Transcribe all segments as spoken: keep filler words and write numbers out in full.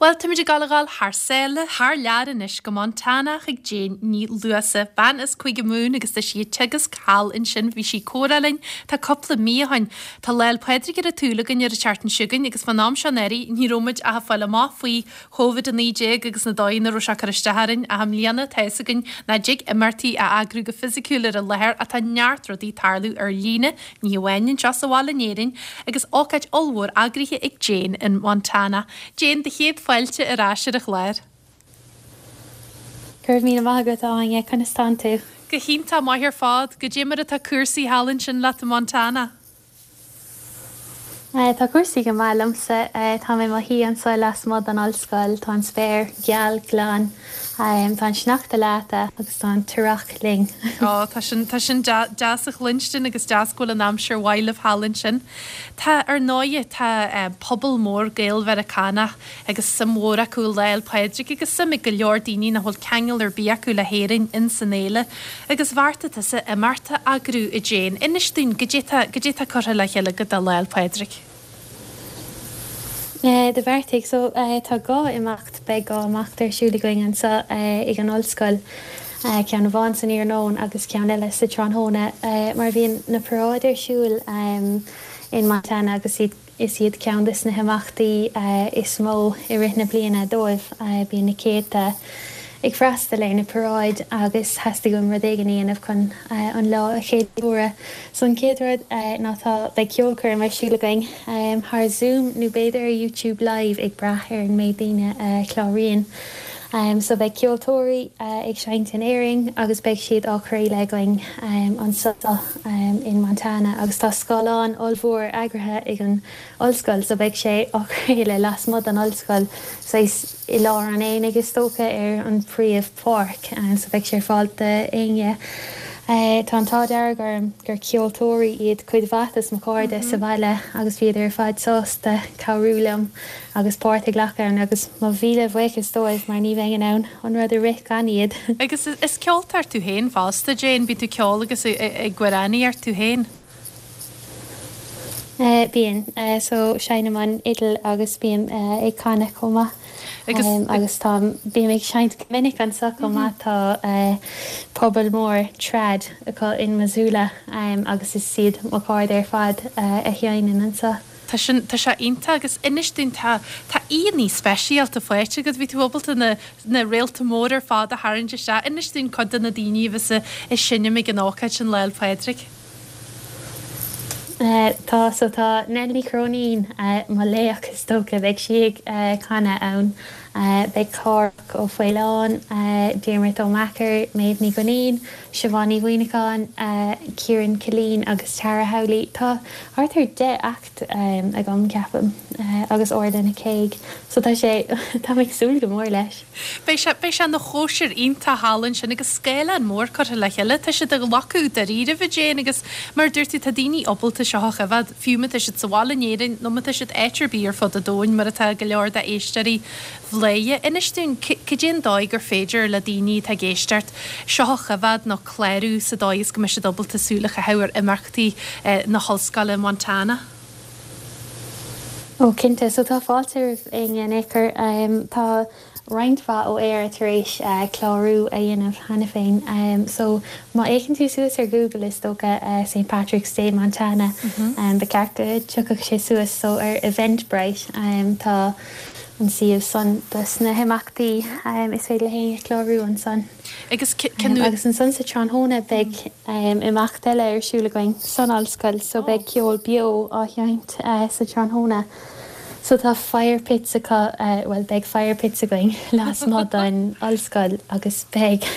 Bhuel, táimid ag gabháil a dhul thar sáile, thar lear anois go Montana chuig Jane Ní Luasa. Bean as Cúige Mumhan agus tá sí ag teagasc thall ansin bhí sí ag comhrá linn tá cúpla mí ó shin. Tá Lá 'le Pádraig ar an tsúil againn ar an tseachtain seo chugainn agus fán am seo anuraidh ní raibh muid ach ag fáil amach faoi Covid a naoi déag agus na dóigheanna a raibh sé ag cur isteach orainn ach i mbliana tá fhios againn nach dtig imeachtaí a eagrú go fisiciúil ar an láthair ach tá neart rudaí ag tarlú ar líne, ní hamháin anseo sa bhaile in Éirinn, agus ócáid ollmhór eagraithe ag Jane in Montana. Jane, do chéad fáilte ar ais ar an chlár. Go raibh míle maith agat Áine conas tánn tú. Go hiontach maith ar fad, goidé mar atá cúrsaí thall ansin leat i Montana. Tá cúrsaí go maith liomsa tá mé i mo shuí anseo lasmuigh den ollscoil, tá an spéir geal glan, tá an sneachta leata agus tá an t-earrach linn. Ó tá sin tá sin deas a chluinstin agus deas go bhfuil an aimsir mhaith libh thall ansin. Tá ar ndóighe tá pobal mór Gael-Mheiriceánach agus suim mhór acu i Lá 'le Pádraig agus suim ag go leor daoine nach bhfuil ceangal ar bith acu le hÉirinn in san fhéile. Agus bheartaigh tusa imeacht a eagrú a Jane. Inis dúinn goidé tá goidé tá curtha le chéile agat do Lá 'le Pádraig. Do bheartaigh so tá dhá imeacht beidh dhá imeacht ar siúl againn anseo ag an ollscoil, ceann amháin san iarnóin agus ceann eile sa tráthnóna mar bhíonn na paráid ar siúl in Montana agus iad is iad ceann de na himeachtaí is mó i rith na bliana dóibh. Bíonn na céadta ag freastal ar na paráid agus theastaigh uaim rud éigin a dhéanamh chun an lá a cheiliúradh. So an chéad rud ná tá beidh ceolchoirm ar siúl againn thar Zoom nó b'fhéidir ar YouTube Live ag brath ar an méid daoine a chláraíonn. So beidh ceoltóirí ag seinnt in Éirinn agus beidh siad á chraoladh againn anseo in Montana agus tá scáileán ollmhór eagraithe ag an ollscoil so beidh sé á chraoladh lasmuigh den ollscoil saghas i lár an aonaigh is dócha ar an phríomhpháirc so beidh sé ar fáil d'éinne. Tá an t-ádh dearg orm gur ceoltóirí iad cuid mhaith de mo chairde sa bhaile agus bhíodar ar fad sásta cabhrú liom agus páirt a ghlacadh ann agus mo mhíle buíochas dóibh mar ní bheinn in ann an rud a rith gan iad. Agus is ceoltóir tú féin fosta Jane, bíonn tú ag ceol agus ag amhránaíocht tú féin. Bíonn so seinnim an fhidil agus bím ag canadh chomh maith. Agus agus tá bím ag seinnt go minic anseo chomh maith tá pobal mór trad acu in Missoula agus is iad mo chairde ar fad a sheinneann anseo. Tá sin tá sé iontach agus inis dúinn tá tá aíonna speisialta faighte agat bhí tú ábalta na na réalta mór ar fad a tharraingt isteach. Inis dúinn cuid de na daoine a bheas ag seinm ag an ócáid sin Lá 'le Pádraig. Tá so tá Nell Ní Chróinín mo laoch is dócha beidh sí ag canadh ann. Beidh Cárthach Ó Faoláin, Diarmuid Ó Meachair, Méabh Ní Dhuinnín, Siobhán Ní Mhuimhneacháin, Ciarán Killeen agus Tara Howley. Tá thart ar deich act agam ceapaim agus Orla Nic Aoidh so tá sé tá mé ag súil go mór leis. Beidh sé beidh sé ina chóisir iontach thall ansin agus scáileán mór curtha le chéile. Tá siad ag glacadh dáiríribh a Jane agus mar a dúirt tú tá daoine ábalta seo a choimhéad fiú má tá siad sa bhaile in Éirinn nó má tá siad áit ar bith ar fud an domhain mar atá go leor d'éisteoirí Bhladhaire. Inis dúinn cad é an dóigh gur féidir le daoine atá ag éisteacht seo a choimhéad nó clárú sa dóigh is go mbeidh siad ábalta súil a chaitheamh ar imeachtaí na hollscoile i Montana. Ó cinnte, so tá fáilte roimh éinne in aon chor. Tá roinnt mhaith ó Éire tar éis clárú a dhéanamh cheana féin. So má fhéachann tú suas ar Google is dócha St Patrick's Day Montana ba cheart go dtiocfadh sé suas so ar Eventbrite tá an suíomh san dos na himeachtaí is féidir le héinne clárú ansan. Agus Agus ansan sa tráthnóna beidh imeacht eile ar siúl againn san ollscoil so beidh ceol beo á sheinnt sa tráthnóna. So tá fire pits acu well beidh fire pits againn lasmuigh den ollscoil agus beidh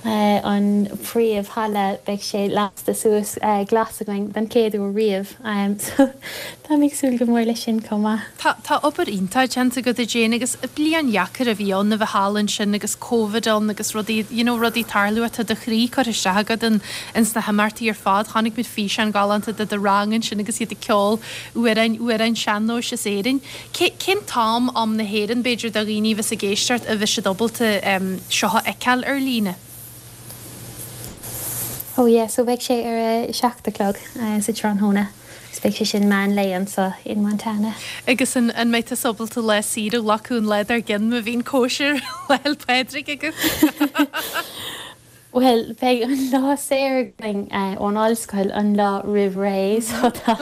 an príomhhalla beidh sé lasta suas glas againn den chéad uair riamh. So tá mé ag súil go mór leis sin chomh maith. Tá tá obair iontach déanta agat a Jane agus bliain dheacair a bhí ann a bheith thall ansin agus Covid ann agus rudaí you know rudaí ag tarlú tá do chroí curtha isteach agat in ins na himeachtaí ar fad. Chonaic muid físeán galánta de do rang ansin agus iad ag ceol amhráin amhráin sean-nóis as Éirinn. Cé cén t-am am na hÉireann b'fhéidir do dhaoine a bheas ag éisteacht a bheas siad ábalta seo a fheiceáil ar líne? Oh yeah, so beidh sé ar a seacht a chlog sa tráthnóna. Agus beidh sé sin meán lae anseo in Montana. Agus an an mbeidh tú ábalta lá saoire a ghlacadh an lá dár gcionn má bhíonn cóisir Lá 'le Pádraig agat? Bhuel, beidh an lá saor againn ón ollscoil an lá roimh ré so tá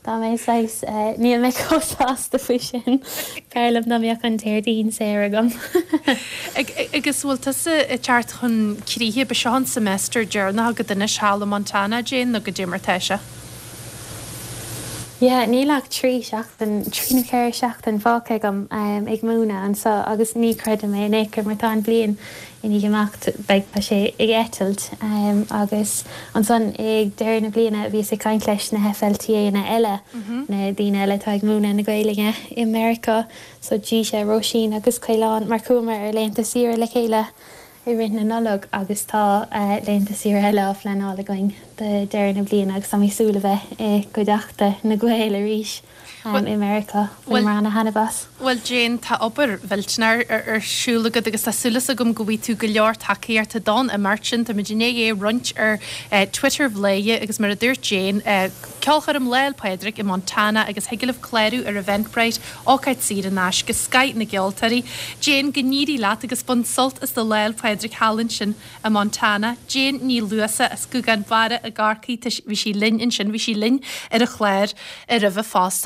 tá mé saghas níl mé chomh sásta faoi sin. B'fhearr liom dá mbeadh an Déardaoin saor agam. Agus bhfuil tusa ag teacht chun críche, ba seo an semester deireanach agat anois thall i Montana, Jane, nó goidé mar tá sé? Yeah, níl ach trí seachtain, trí nó ceithre seachtain fágtha agam ag múineadh anseo agus ní chreidim é in aon chor mar tá an bhliain i ndiaidh imeacht, beidh, tá sé ag eitilt agus ansan ag deireadh na bliana bhíos ag caint leis na FLTAnna eile, na daoine eile atá ag múineadh na Gaelainne i Meiriceá, so Díse, Róisín agus Caolán mar chuamar ar laethanta saoire le chéile. i rith na Nollag agus tá laethanta saoire eile á phleanáil againn do deireadh na bliana agus tá mé ag súil a bheith i gcuideachta na Gaeil arís i Meiriceá. Bhaineamar ana-thaitneamh as. Bhuel Jane, tá obair mhillteanach ar siúl agat agus tá súil agam go bhfaighidh tú go leor tacaíochta don imeacht sin. Táimid i ndiaidh é a roinnt ar Twitter Bhladhaire agus mar a dúirt Jane, Ceolchoirm Lá 'le Pádraig i Montana agus thig libh clárú ar Eventbrite, ócáid saor in aisce, scoth na gceoltóirí. Jane, go n-éirí leat agus bain sult as do Lá 'le Pádraig thall ansin i Montana. Jane Ní Luasa as Gougane Barra i gCorcaigh, bhí sí linn ansin, bhí sí linn ar an chlár roimhe fosta.